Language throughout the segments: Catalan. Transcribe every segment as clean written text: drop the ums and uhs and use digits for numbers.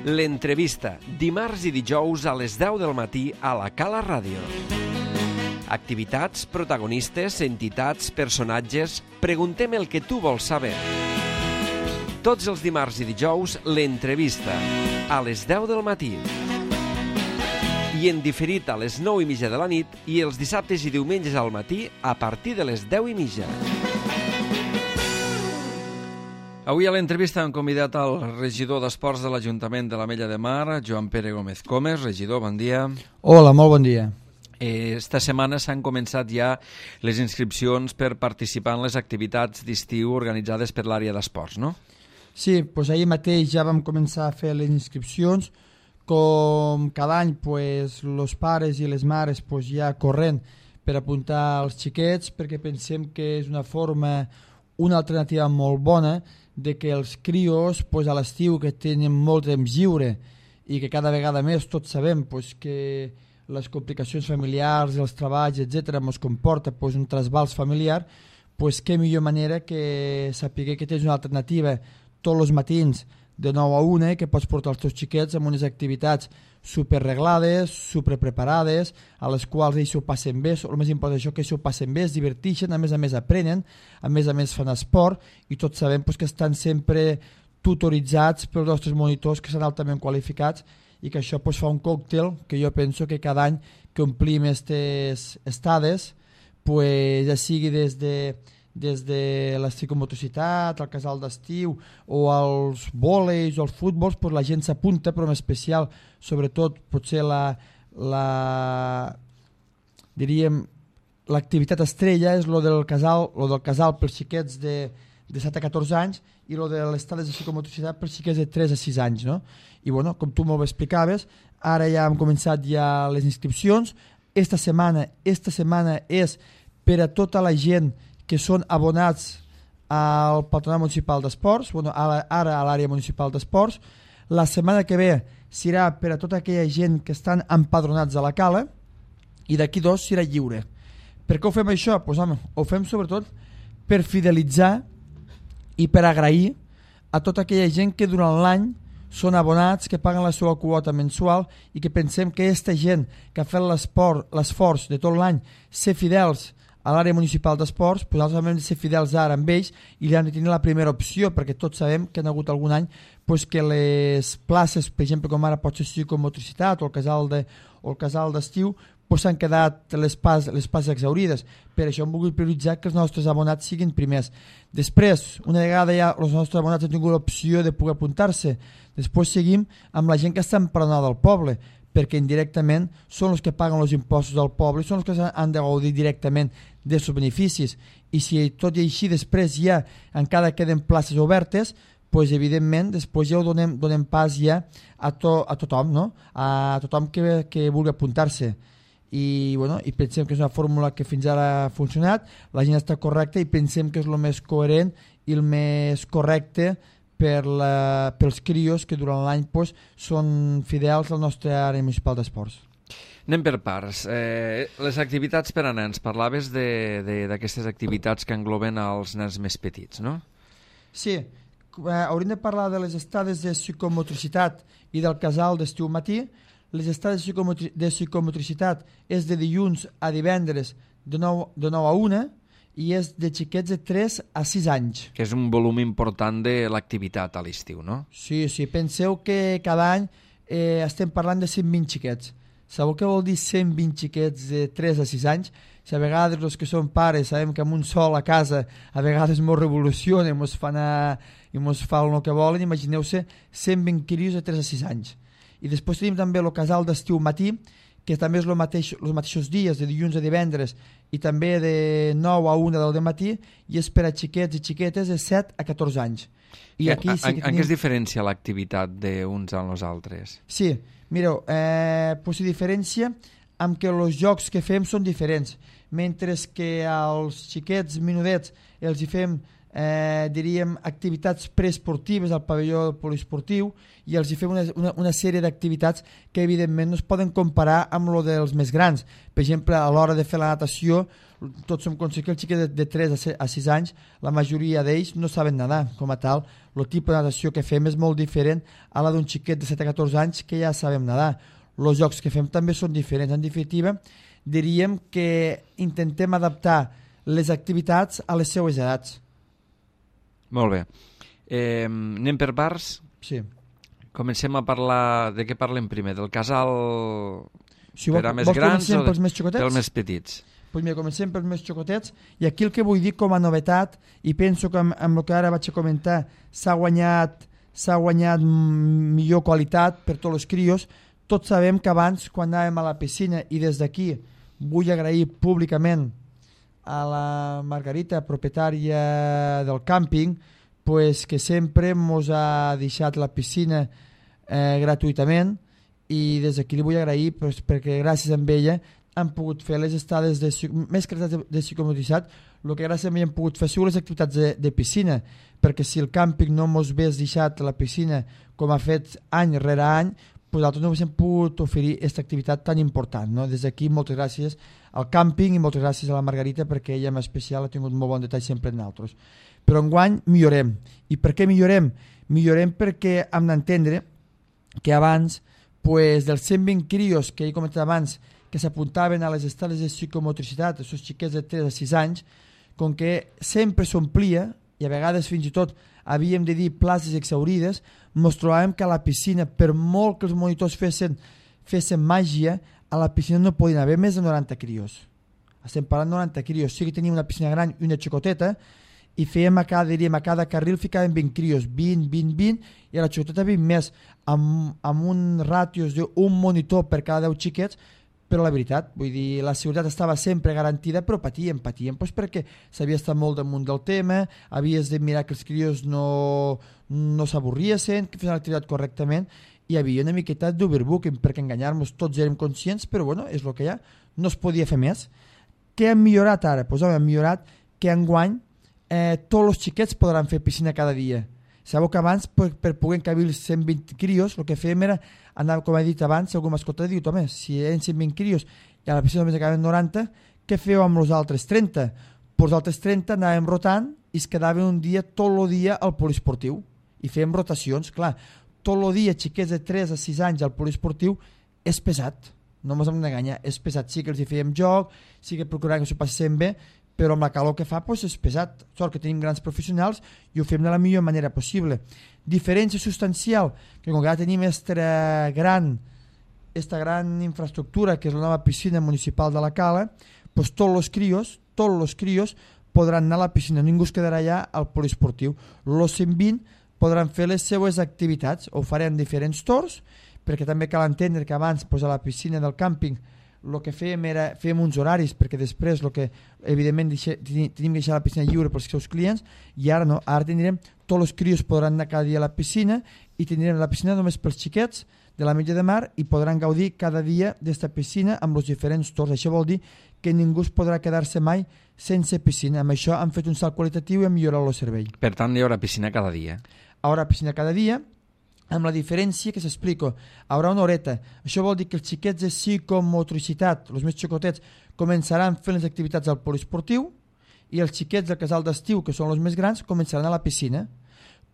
L'entrevista, dimarts i dijous a les 10 del matí a la Cala Ràdio. Activitats, protagonistes, entitats, personatges... Preguntem el que tu vols saber. Tots els dimarts i dijous, l'entrevista, a les 10 del matí. I en diferit a les 9:30 de la nit i els dissabtes i diumenges al matí a partir de les 10:30. Avui a l'entrevista hem convidat al regidor d'Esports de l'Ajuntament de l'Ametlla de Mar, Joan Pere Gómez Comes. Regidor, bon dia. Hola, molt bon dia. Esta setmana s'han començat ja les inscripcions per participar en les activitats d'estiu organitzades per l'àrea d'esports, no? Sí, doncs ahir mateix ja vam començar a fer les inscripcions. Com cada any, els pares i les mares ja corrent per apuntar els xiquets, perquè pensem que és una forma, una alternativa molt bona de que els crios a l'estiu, que tenen molt temps lliure i que cada vegada més tots sabem que les complicacions familiars, els treballs, etc., ens comporta un trasbals familiar, què millor manera que saber que tens una alternativa tots els matins de 9 a 1, que pots portar els teus xiquets amb unes activitats superreglades, superpreparades, a les quals ells s'ho passen bé. El més important és que s'ho passen bé, es diverteixen, a més aprenen, a més fan esport, i tots sabem que estan sempre tutoritzats pels nostres monitors, que són altament qualificats, i que això fa un còctel que jo penso que cada any que omplim aquestes estades, ja sigui des de la psicomotricitat, el casal d'estiu o els vòleis o els futbols, la gent s'apunta, però en especial, sobretot, potser l'activitat estrella és lo del casal pels xiquets de 7 a 14 anys i lo de les estades de psicomotricitat pels xiquets de 3 a 6 anys, no? I com tu molt bé explicaves, ara ja hem començat les inscripcions. Esta setmana és per a tota la gent que són abonats al Patronat Municipal d'Esports, ara a l'àrea municipal d'esports. La setmana que ve serà per a tota aquella gent que estan empadronats a la cala, i d'aquí 2 serà lliure. Per què ho fem això? Ho fem sobretot per fidelitzar i per agrair a tota aquella gent que durant l'any són abonats, que paguen la seva quota mensual, i que pensem que aquesta gent que ha fet l'esforç de tot l'any ser fidels a l'àrea municipal d'esports, nosaltres hem de ser fidels ara amb ells i li hem de tenir la primera opció, perquè tots sabem que hi ha hagut algun any que les places, per exemple, com ara pot ser psicomotricitat o el casal d'estiu, s'han quedat les places exhaurides. Per això hem volgut prioritzar que els nostres abonats siguin primers. Després, una vegada ja els nostres abonats han tingut l'opció de poder apuntar-se, després seguim amb la gent que està empadronada al poble, perquè indirectament són els que paguen els impostos del poble i són els que han de gaudir directament dels beneficis. I si tot i així després ja encara queden places obertes, evidentment després ja ho donem pas ja a tothom, no? A tothom que vulgui apuntar-se. I pensem que és una fórmula que fins ara ha funcionat, la gent està correcta i pensem que és el més coherent i el més correcte pels crios que durant l'any són fidels al nostre àrea municipal d'esports. Anem per parts. Les activitats per a nens, parlaves d'aquestes activitats que engloben els nens més petits, no? Sí, hauríem de parlar de les estades de psicomotricitat i del casal d'estiu matí. Les estades de psicomotricitat és de dilluns a divendres de 9 a 1 i és de xiquets de 3 a 6 anys. Que és un volum important de l'activitat a l'estiu, no? Sí, penseu que cada any estem parlant de 120 xiquets. Sabeu què vol dir 120 xiquets de 3 a 6 anys? Si a vegades els que són pares sabem que amb un sol a casa a vegades ens revolucionen i ens fan el que volen, imagineu-se 120 crios de 3 a 6 anys. I després tenim també el casal d'estiu matí, que també és els mateixos dies, de dilluns a divendres, i també de 9 a 1 del matí, i és per a xiquets i xiquetes de 7 a 14 anys. I aquí sí que en què es diferencia l'activitat d'uns amb els altres? Sí, mireu, s'hi diferencia amb que els jocs que fem són diferents. Mentre que als xiquets menudets els hi fem diríem, activitats preesportives al pavelló poliesportiu i els hi fem una sèrie d'activitats que evidentment no es poden comparar amb lo dels més grans. Per exemple, a l'hora de fer la natació, tots som conscients que els xiquets de 3 a 6 anys, la majoria d'ells no saben nedar. Com a tal, el tipus de natació que fem és molt diferent a la d'un xiquet de 7 a 14 anys que ja sabem nedar. Els jocs que fem també són diferents. En definitiva, diríem que intentem adaptar les activitats a les seues edats. Molt bé. Anem per parts? Sí. Comencem a parlar... De què parlem primer? Del casal Si per a més grans o pels més xicotets? pels més petits? Pues mira, comencem pels més xicotets i aquí el que vull dir com a novetat, i penso que amb el que ara vaig a comentar s'ha guanyat millor qualitat per tots els crios. Tots sabem que abans, quan anàvem a la piscina, i des d'aquí vull agrair públicament a la Margarita, propietària del càmping, pues, que sempre ens ha deixat la piscina gratuïtament, i des d'aquí li vull agrair pues, perquè gràcies a ella han pogut fer les estades més que les de psicomotricitat, el que gràcies a ella han pogut fer les activitats de piscina, perquè si el càmping no ens hagués deixat la piscina com ha fet any rere any, pues nosaltres no haguéssim pogut oferir aquesta activitat tan important. No? Des d'aquí moltes gràcies al càmping i moltes gràcies a la Margarita perquè ella en especial ha tingut molt bon detall sempre en nosaltres. Però enguany millorem. I per què millorem? Millorem perquè hem d'entendre que abans pues, dels 120 crios que he comentat abans que s'apuntaven a les estades de psicomotricitat, els xiquets de 3 a 6 anys, com que sempre s'omplia i a vegades fins i tot havíem de dir places exaurides, ens trobàvem que a la piscina, per molt que els monitors fessin màgia, a la piscina no podien haver més de 90 crios. Estem parlant de 90 crios. Sí que teníem una piscina gran i una xicoteta, i fèiem a cada carril ficaven 20 crios, 20, i a la xicoteta 20 més, amb un ràtios d'un monitor per cada 10 xiquets, però la veritat, vull dir, la seguretat estava sempre garantida, però patíem doncs perquè s'havia estat molt damunt del tema, havies de mirar que els crios no s'avorriessin, que fessin l'activitat correctament, i hi havia una miqueta d'overbooking, perquè enganyar-nos tots érem conscients, però bueno, és el que hi ha, no es podia fer més. Què hem millorat ara? Doncs hem millorat que enguany tots els xiquets podran fer piscina cada dia. Sabeu que abans, per poder encabir els 120 crios, el que fèiem era anar, com he dit abans, si algú m'escolta, diu, home, si eren 120 crios i a la piscina només acaben 90, què feu amb els altres 30? Pues els altres 30 anàvem rotant i es quedaven un dia, tot el dia al poliesportiu. I fèiem rotacions, clar. Tot el dia, xiquets de 3 a 6 anys al poliesportiu, és pesat. No ens hem d'enganyar, és pesat. Sí que els hi fèiem joc, sí que procuràvem que s'ho passessin bé, però amb la calor que fa doncs és pesat. Sort que tenim grans professionals i ho fem de la millor manera possible. Diferència substancial, que com que ja tenim esta gran infraestructura, que és la nova piscina municipal de la Cala, doncs tots els crios podran anar a la piscina, ningú es quedarà allà al poliesportiu. Els 120 podran fer les seues activitats, ho farem en diferents torns, perquè també cal entendre que abans doncs, a la piscina del càmping el que fèiem era fèiem uns horaris, perquè després el que evidentment tenim que deixar la piscina lliure pels seus clients, i ara no, ara tindrem tots els crios podran anar cada dia a la piscina i tindrem la piscina només pels xiquets de la mitja de mar i podran gaudir cada dia d'esta piscina amb els diferents torns. Això vol dir que ningú es podrà quedar-se mai sense piscina. Amb això han fet un salt qualitatiu i han millorat el servei. Per tant, hi haurà piscina cada dia. Hi haurà piscina cada dia, amb la diferència que s'explico, hi haurà una horeta. Això vol dir que els xiquets de psicomotricitat, els més xicotets, començaran fent les activitats al poliesportiu i els xiquets del casal d'estiu, que són els més grans, començaran a la piscina.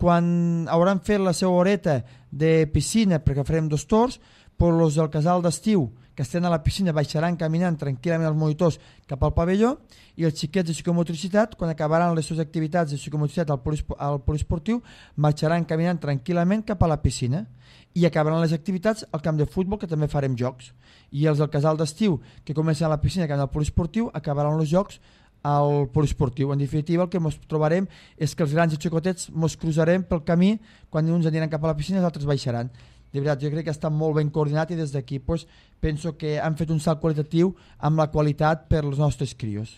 Quan hauran fet la seva horeta de piscina, perquè farem 2 torns, doncs els del casal d'estiu, que estan a la piscina, baixaran caminant tranquil·lament els monitors cap al pavelló, i els xiquets de psicomotricitat, quan acabaran les seves activitats de psicomotricitat al poliesportiu, marxaran caminant tranquil·lament cap a la piscina i acabaran les activitats al camp de futbol, que també farem jocs. I els del casal d'estiu, que comencen a la piscina i acaben al poliesportiu, acabaran els jocs al poliesportiu. En definitiva, el que ens trobarem és que els grans i xicotets ens cruzarem pel camí, quan uns aniran cap a la piscina i els altres baixaran. De veritat, jo crec que està molt ben coordinat i des d'aquí doncs, penso que han fet un salt qualitatiu amb la qualitat per als nostres crios.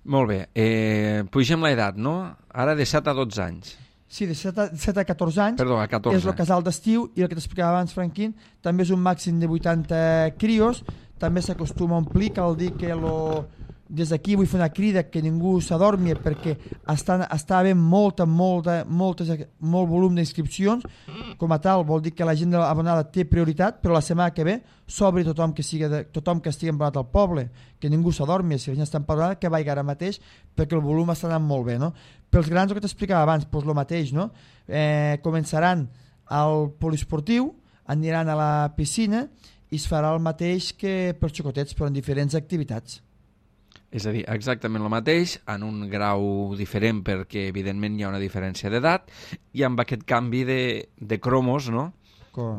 Molt bé. Pugem l'edat, no? Ara de 7 a 12 anys. Sí, de 7 a 14 anys. Perdó, a 14. És el casal d'estiu i el que t'explicava abans, Franquín, també és un màxim de 80 crios, també s'acostuma a omplir, cal dir que des d'aquí vull fer una crida que ningú s'adormi perquè està havent molt volum d'inscripcions. Com a tal vol dir que la gent abonada té prioritat, però la setmana que ve s'obri tothom que estigui abonat al poble, que ningú s'adormi, si la gent està empadronada que vagi ara mateix perquè el volum està anant molt bé, no? Pels grans, el que t'explicava abans, doncs el mateix, no? Començaran al poliesportiu, aniran a la piscina i es farà el mateix que pels xicotets, però en diferents activitats. És a dir, exactament el mateix, en un grau diferent perquè evidentment hi ha una diferència d'edat i amb aquest canvi de cromos, no?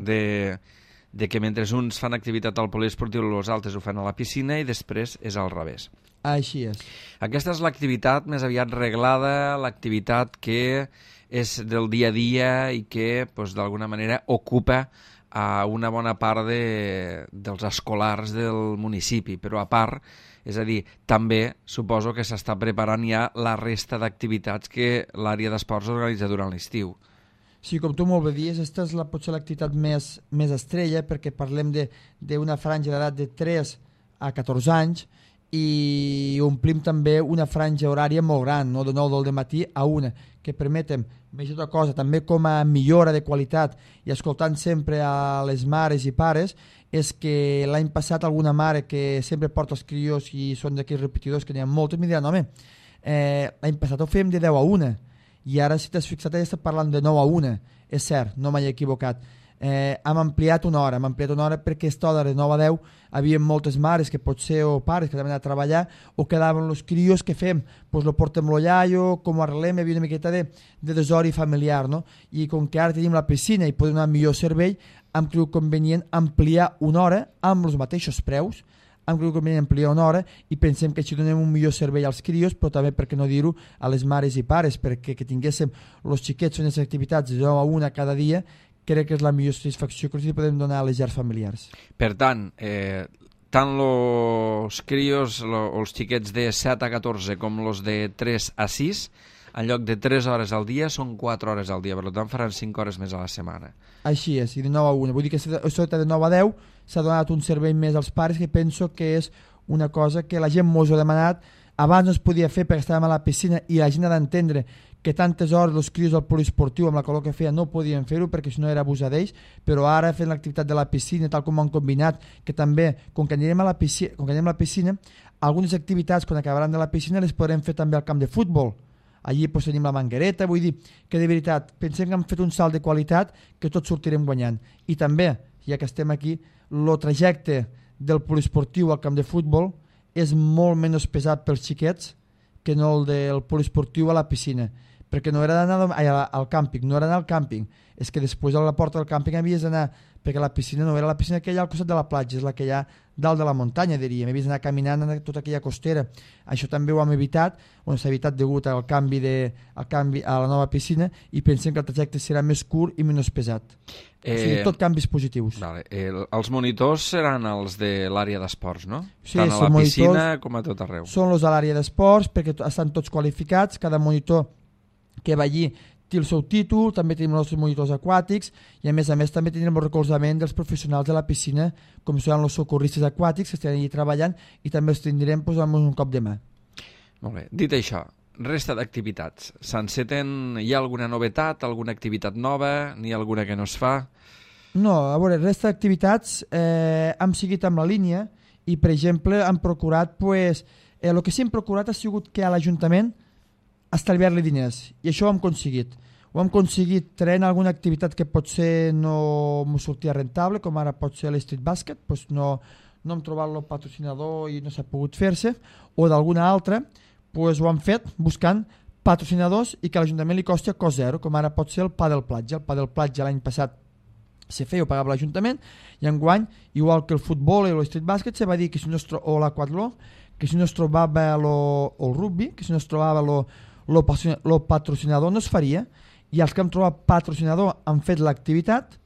De que mentre uns fan activitat al poliesportiu els altres ho fan a la piscina i després és al revés. Així és. Aquesta és l'activitat més aviat reglada, l'activitat que és del dia a dia i que doncs, d'alguna manera ocupa a una bona part dels escolars del municipi, però a part, és a dir, també suposo que s'està preparant ja la resta d'activitats que l'àrea d'esports organitza durant l'estiu. Sí, com tu molt bé dius, aquesta és potser l'activitat més estrella perquè parlem d'una franja d'edat de 3 a 14 anys i omplim també una franja horària molt gran, no? De 9 del matí a 1, que permetem, més tota cosa, també com a millora de qualitat i escoltant sempre a les mares i pares, és que l'any passat alguna mare que sempre porta els crios i són d'aquells repetidors que n'hi ha moltes, em diran, home, l'any passat ho fèiem de 10 a 1 i ara si t'has fixat ja està parlant de 9 a 1, és cert, no m'he equivocat. Hem ampliat una hora perquè aquesta hora de 9 a 10 havia moltes mares que potser o pares que anaven a treballar o quedaven els crios que fem, doncs lo portem lo iaio, com ho arreglem, hi havia una miqueta de desori familiar, no? I com que ara tenim la piscina i podem donar millor servei, hem cregut convenient ampliar una hora amb els mateixos preus, hem cregut convenient ampliar una hora i pensem que així donem un millor servei als crios, però també, per què no dir-ho, a les mares i pares, perquè que tinguéssim els xiquets fent les activitats de 9 a 1 cada dia, crec que és la millor satisfacció que els podem donar a les llars familiars. Per tant, tant els crios, els xiquets de 7 a 14 com els de 3 a 6, en lloc de 3 hores al dia són 4 hores al dia, per tant faran 5 hores més a la setmana. Així és, i de 9 a 1. Vull dir que sota de 9 a 10 s'ha donat un servei més als pares que penso que és una cosa que la gent mos ho ha demanat. Abans no es podia fer perquè estàvem a la piscina i la gent ha d'entendre que tantes hores els crios del poliesportiu amb la calor que feia no podien fer-ho perquè si no era abusar d'ells, però ara fent l'activitat de la piscina tal com ho han combinat, que també com que anirem a la piscina, algunes activitats quan acabaran de la piscina les podrem fer també al camp de futbol. Allí doncs, tenim la manguereta, vull dir que de veritat pensem que hem fet un salt de qualitat que tots sortirem guanyant. I també, ja que estem aquí, el trajecte del poliesportiu al camp de futbol és molt menys pesat pels xiquets que no el del poliesportiu a la piscina, perquè no era d'anar al càmping, no era anar al càmping, és que després a la porta del càmping havies d'anar, perquè la piscina no era la piscina que hi ha al costat de la platja, és la que hi ha dalt de la muntanya, diríem, havies d'anar caminant en tota aquella costera. Això també ho hem evitat, s'ha evitat degut al canvi a la nova piscina i pensem que el trajecte serà més curt i menys pesat. O sigui, tot canvis positius. Vale. Els monitors seran els de l'àrea d'esports, no? Sí, tant a la piscina com a tot arreu. Són els de l'àrea d'esports perquè estan tots qualificats, cada monitor que va allí té el seu títol, també tenim els nostres monitors aquàtics i a més també tenim el recolzament dels professionals de la piscina, com són els socorristes aquàtics que estan allí treballant i també els tindrem amb un cop de mà. Molt bé. Dit això, resta d'activitats. S'enceten, hi ha alguna novetat, alguna activitat nova, n'hi ha alguna que no es fa? No, a veure, resta d'activitats hem seguit amb la línia i, per exemple, hem procurat, el que sí hem procurat ha sigut que a l'Ajuntament estalviar-li diners, i això ho hem aconseguit. Ho hem aconseguit traient alguna activitat que potser no m'ho sortia rentable, com ara pot ser l'Street Basket, doncs no hem trobat el patrocinador i no s'ha pogut fer-se, o d'alguna altra, doncs ho hem fet buscant patrocinadors i que a l'Ajuntament li costi a cost zero, com ara pot ser el Padel Platja. El Padel Platja l'any passat se feia, ho pagava l'Ajuntament, i enguany, igual que el futbol i l'Street Basket, se va dir que si no o l'aquatló, que si no es trobava el rugby, que si no es trobava el patrocinador no es faria, i els que hem trobat patrocinador han fet l'activitat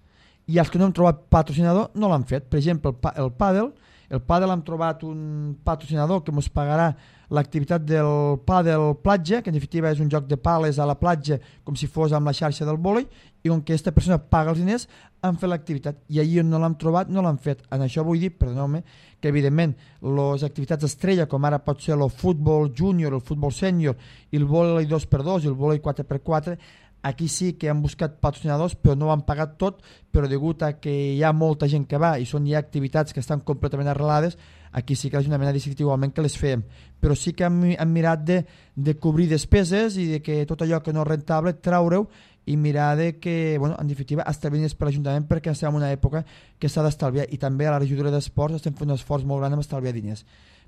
i els que no hem trobat patrocinador no l'han fet. Per exemple, el pàdel hem trobat un patrocinador que ens pagarà l'activitat del pàdel platja, que en definitiva és un joc de pales a la platja com si fos amb la xarxa del vòlei, i on aquesta persona paga els diners han fet l'activitat, i allí on no l'han trobat no l'han fet. En això vull dir, perdoneu-me, que evidentment les activitats estrella, com ara pot ser el futbol júnior, el futbol sènior i el vòlei 2x2 i el vòlei 4x4, aquí sí que han buscat patrocinadors però no ho han pagat tot, però degut a que hi ha molta gent que va i són ja activitats que estan completament arrelades, aquí sí que l'Ajuntament ha decidit igualment que les fem, però sí que han mirat de cobrir despeses i de que tot allò que no és rentable traure-ho i mirar de que, bueno, en definitiva, estalviar diners per l'Ajuntament, perquè estem en una època que s'ha d'estalviar, i també a la regidoria d'esports estem fent un esforç molt gran en estalviar diners.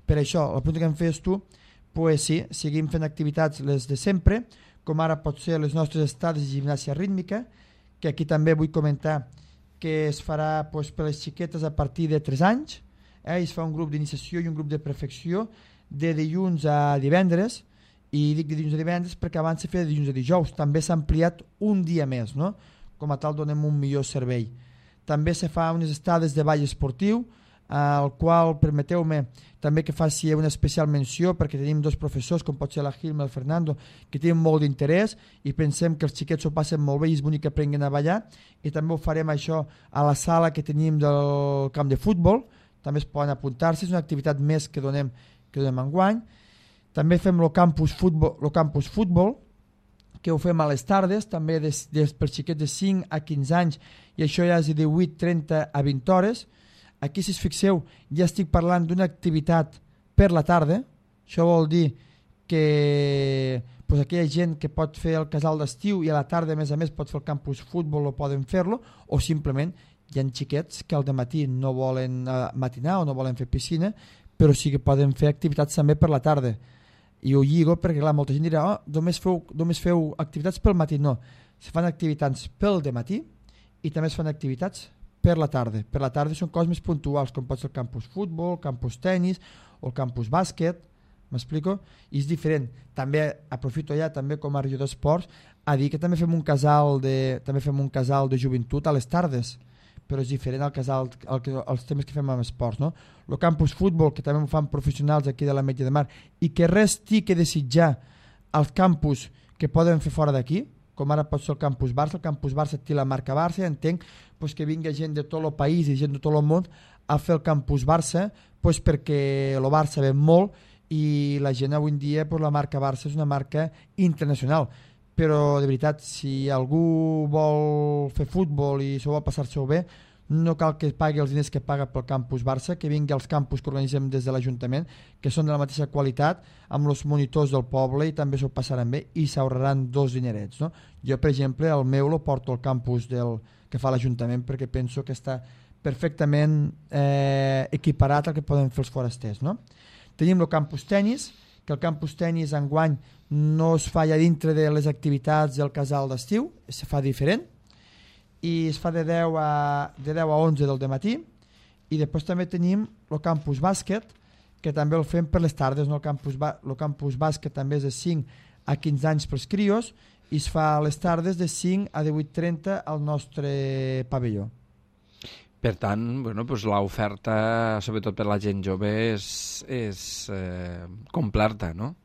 Per això, la pregunta que em fes tu, pues sí, seguim fent activitats les de sempre, com ara pot ser les nostres estades de gimnàsia rítmica, que aquí també vull comentar que es farà pues, per les xiquetes a partir de 3 anys, i es fa un grup d'iniciació i un grup de perfecció de dilluns a divendres, i dic de dilluns a divendres perquè abans se feia de dilluns a dijous, també s'ha ampliat un dia més, no? Com a tal donem un millor servei. També se fa unes estades de ball esportiu, al qual permeteu-me també que faci una especial menció, perquè tenim 2 professors, com pot ser la Gilma i el Fernando, que tenen molt d'interès i pensem que els xiquets ho passen molt bé i és bonic que aprenguin a ballar, i també ho farem això a la sala que tenim del camp de futbol, també es poden apuntar-se, és una activitat més que donem enguany. També fem el campus futbol, que ho fem a les tardes, també per xiquets de 5 a 15 anys, i això ja és de 18:30 a 20 hores. Aquí, si us fixeu, ja estic parlant d'una activitat per la tarda. Això vol dir que pues, aquella gent que pot fer el casal d'estiu i a la tarda, a més, pot fer el campus futbol o poden fer-lo, o simplement hi ha xiquets que al dematí no volen matinar o no volen fer piscina, però sí que poden fer activitats també per la tarda. I ho lligo perquè clar, molta gent dirà només feu activitats pel matí. No, se fan activitats pel dematí i també es fan activitats per la tarda. Per la tarda són coses més puntuals, com pot ser el campus futbol, el campus tennis o el campus bàsquet, m'explico? I és diferent. També aprofito ja també com a regidor d'esports a dir que també fem un casal de joventut a les tardes, però és diferent al casal, els temes que fem amb esports, no? El campus futbol, que també ho fan professionals aquí de la Metge de Mar, i que res té que desitjar als campus que poden fer fora d'aquí, com ara pot ser el campus Barça té la marca Barça, entenc pues, que vingui gent de tot el país i gent de tot el món a fer el campus Barça, pues, perquè el Barça ve molt i la gent avui en dia pues, la marca Barça és una marca internacional. Però de veritat, si algú vol fer futbol i s'ho vol passar-se-ho bé, no cal que pagui els diners que paga pel campus Barça, que vingui als campus que organitzem des de l'Ajuntament, que són de la mateixa qualitat, amb els monitors del poble, i també s'ho passaran bé i s'ahorraran 2 dinerets. No? Jo, per exemple, el meu lo porto al campus que fa l'Ajuntament perquè penso que està perfectament equiparat al que poden fer els forasters. No? Tenim el campus tenis, que el campus tenis enguany no es fa ja dintre de les activitats del casal d'estiu, es fa diferent, i es fa de 10 a 11 del dematí, i després també tenim el campus bàsquet, que també el fem per les tardes, no? El campus bàsquet també és de 5 a 15 anys pels crios, i es fa a les tardes de 5 a 18:30 al nostre pavelló. Per tant, bueno, pues l'oferta, sobretot per la gent jove, és completa, no?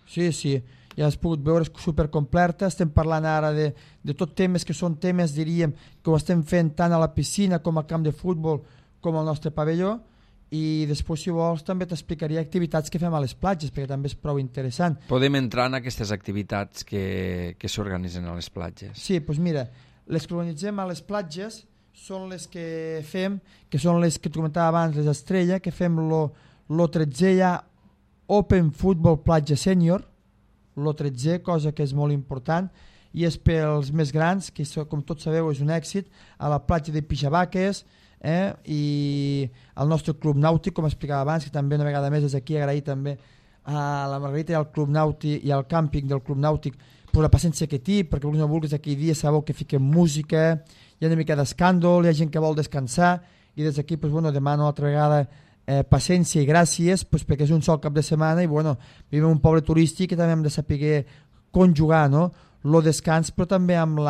Sí, ja has pogut veure, és supercompleta. Estem parlant ara de tot temes que són temes, diríem, que ho estem fent tant a la piscina com al camp de futbol com al nostre pavelló, i després, si vols, també t'explicaria activitats que fem a les platges, perquè també és prou interessant. Podem entrar en aquestes activitats que s'organitzen a les platges. Sí, doncs mira, les que organitzem a les platges són les que fem, que són les que tu comentava abans, les estrella, que fem lo 13è ja Open Football Platja Sènior, lo 13è, cosa que és molt important, i és pels més grans, que com tots sabeu és un èxit, a la platja de Pixabaques, i al nostre club nàutic, com explicava abans, que també una vegada més des d'aquí agrair també a la Margarita i al club nàutic i al càmping del club nàutic per la paciència que té, perquè no vulguis aquell dia sabeu que fiquem música, hi ha una mica d'escàndol, hi ha gent que vol descansar, i des d'aquí demano altra vegada paciència i gràcies, perquè és un sol cap de setmana i vivim un poble turístic que també hem de saber conjugar, no? el descans, però també amb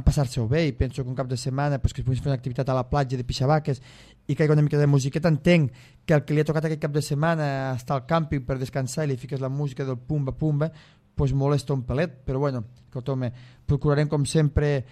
passar-se-ho bé, i penso que un cap de setmana pues, que es pugui fer una activitat a la platja de Pixabaques i que hi ha una mica de musiqueta. Entenc que el que li ha tocat aquest cap de setmana estar al càmping per descansar i li fiques la música del pumba pumba, pues molesta un pelet, però bueno, procurarem com sempre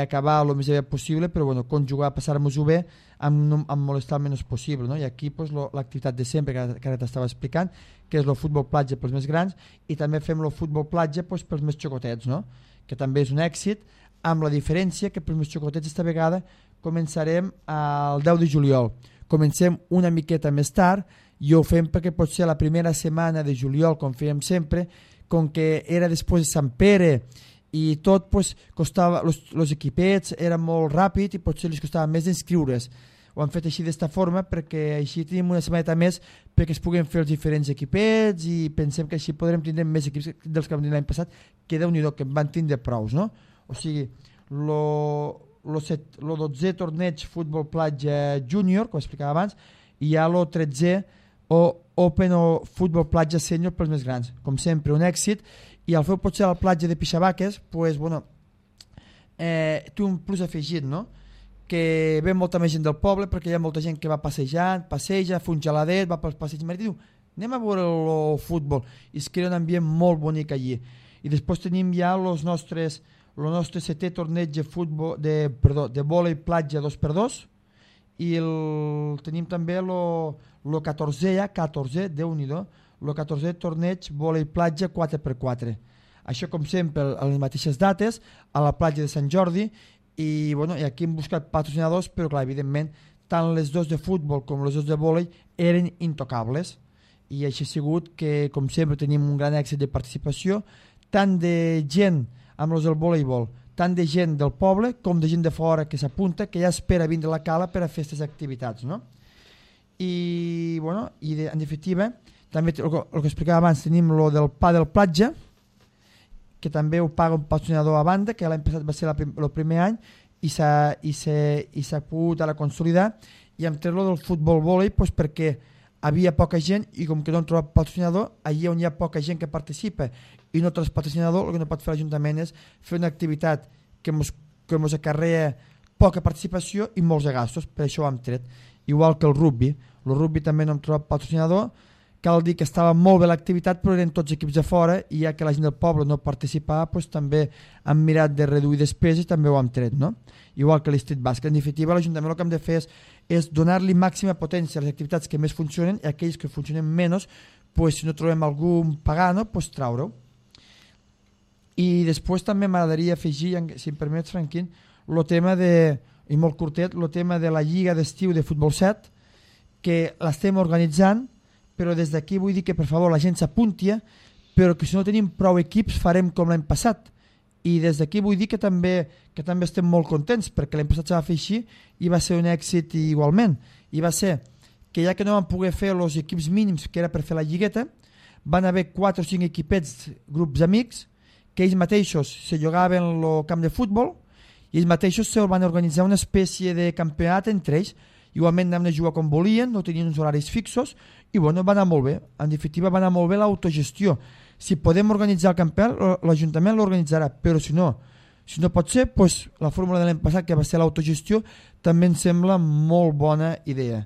acabar el més aviat possible, però bueno, conjugar, passar-nos-ho bé amb molestar el menys possible, no? I aquí pues, l'activitat de sempre que ara t'estava explicant, que és el futbol platja pels més grans, i també fem el futbol platja pues, pels més xocotets, no? Que també és un èxit, amb la diferència que pels més xocotets esta vegada començarem el 10 de juliol. Comencem una miqueta més tard i ho fem perquè pot ser la primera setmana de juliol, com fèiem sempre, com que era després de Sant Pere i tot pues, costava, els equipets eren molt ràpid i potser els costava més d'inscriure's. Ho han fet així d'esta forma perquè així tenim una setmaneta més perquè es puguen fer els diferents equipets i pensem que així podrem tindre més equips dels que vam tenir l'any passat, que Déu-n'hi-do, que en van tindre prous, no? O sigui, el 12è torneig futbol platja júnior, com explicava abans, i hi ha el 13è o Open o futbol platja sènior pels més grans. Com sempre, un èxit, i al fer potser a la platja de Pixabaques, pues, bueno, té un plus afegit, no? Que ve molta més gent del poble perquè hi ha molta gent que va passejant, passeja, fa un geladet, va pels passeigs marítils i diu, anem a veure el futbol, i es crea un ambient molt bonic allí. I després tenim ja el nostre 7è torneig de futbol de vòlei platja 2x2 i tenim també el 14è, Déu-n'hi-do, el 14è torneig vòlei platja 4x4. Això com sempre a les mateixes dates a la platja de Sant Jordi. I, bueno, i aquí hem buscat patrocinadors, però clar, evidentment tant les dos de futbol com les dos de vòlei eren intocables, i així ha sigut que com sempre tenim un gran èxit de participació, tant de gent amb els del voleibol, tant de gent del poble com de gent de fora que s'apunta, que ja espera vindre a la cala per a fer aquestes activitats, no? I, bueno, en definitiva també el que explicava abans, tenim el del pàdel platja, que també ho paga un patrocinador a banda, que l'any passat va ser el primer any i s'ha pogut ara consolidar, i hem tret del futbol vòlei pues, perquè havia poca gent i com que no hem trobat patrocinador, allà on hi ha poca gent que participa i no trobes patrocinador, el que no pot fer l'Ajuntament és fer una activitat que ens acarrea poca participació i molts de gastos, per això ho hem tret. Igual que el rugby també no hem trobat patrocinador. Cal dir que estava molt bé l'activitat, però eren tots equips de fora i ja que la gent del poble no participava, doncs també han mirat de reduir despeses i també ho han tret, no? Igual que l'Street Basket. En definitiva, l'Ajuntament el que hem de fer és donar-li màxima potència a les activitats que més funcionen i aquells que funcionen menys, doncs, si no trobem algun pagano, doncs traure-ho. I després també m'agradaria afegir, si em permets, Franquín, el tema i molt curtet, el tema de la Lliga d'Estiu de Futbol 7, que l'estem organitzant, però des d'aquí vull dir que per favor la gent s'apunti, però que si no tenim prou equips farem com l'any passat. I des d'aquí vull dir que també estem molt contents, perquè l'any passat se va fer així i va ser un èxit igualment. I va ser que ja que no van poder fer els equips mínims que era per fer la lligueta, van haver 4 o 5 equipets, grups amics, que ells mateixos se llogaven el camp de futbol i ells mateixos se van organitzar una espècie de campionat entre ells. Igualment anaven a jugar com volien, no tenien uns horaris fixos i bueno, va anar molt bé. En definitiva va anar molt bé l'autogestió. Si podem organitzar el campionat, l'Ajuntament l'organitzarà, però si no pot ser, doncs, la fórmula de l'any passat, que va ser l'autogestió, també em sembla molt bona idea.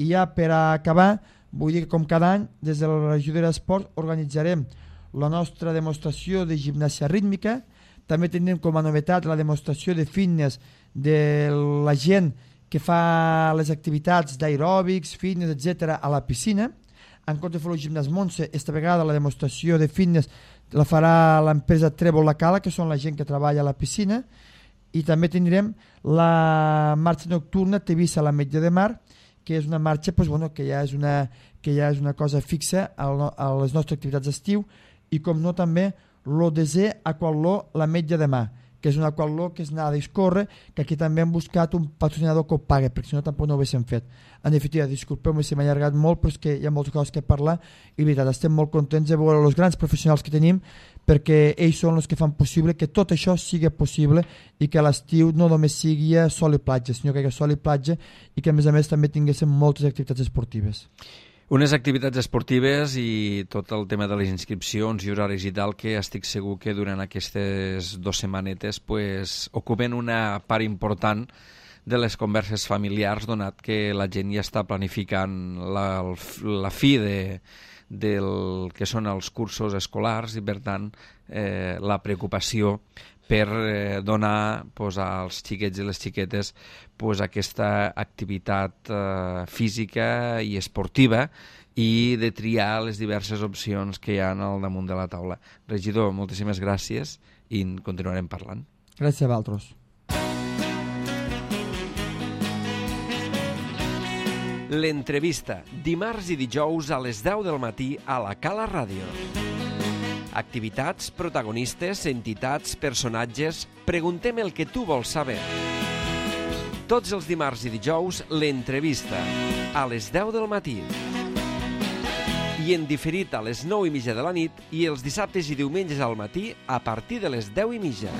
I ja per acabar, vull dir que com cada any, des de la regió d'Esport organitzarem la nostra demostració de gimnàsia rítmica, també tindrem com a novetat la demostració de fitness de la gent que fa les activitats d'aeròbics, fitness, etc. a la piscina. En compte de fer el gimnàs Montse, esta vegada la demostració de fitness la farà l'empresa Trèvol La Cala, que són la gent que treballa a la piscina, i també tindrem la marxa nocturna Tevissa a la Metlla de Mar, que és una marxa pues, bueno, que ja és una cosa fixa a les nostres activitats d'estiu, i com no també l'Odesè Aquatló la Metlla de Mar, que és un aquatló que és anar a discórrer, que aquí també hem buscat un patrocinador que ho pagui, perquè si no tampoc no ho haguéssim fet. En definitiva, disculpeu-me si m'he allargat molt, però és que hi ha moltes coses que parlar, i veritat, estem molt contents de veure els grans professionals que tenim, perquè ells són els que fan possible que tot això sigui possible i que l'estiu no només sigui sol i platja, sinó que hi ha sol i platja i que a més també tinguéssim moltes activitats esportives. Unes activitats esportives i tot el tema de les inscripcions i horaris i tal, que estic segur que durant aquestes 2 setmanetes ocupen una part important de les converses familiars, donat que la gent ja està planificant la fi del que són els cursos escolars i, per tant, la preocupació per donar als xiquets i les xiquetes aquesta activitat física i esportiva i de triar les diverses opcions que hi ha al damunt de la taula. Regidor, moltíssimes gràcies i en continuarem parlant. Gràcies a vosaltres. L'entrevista, dimarts i dijous a les 10 del matí a la Cala Ràdio. Activitats, protagonistes, entitats, personatges... Preguntem el que tu vols saber. Tots els dimarts i dijous, l'entrevista, a les 10 del matí. I en diferit a les 9:30 de la nit i els dissabtes i diumenges al matí a partir de les 10:30.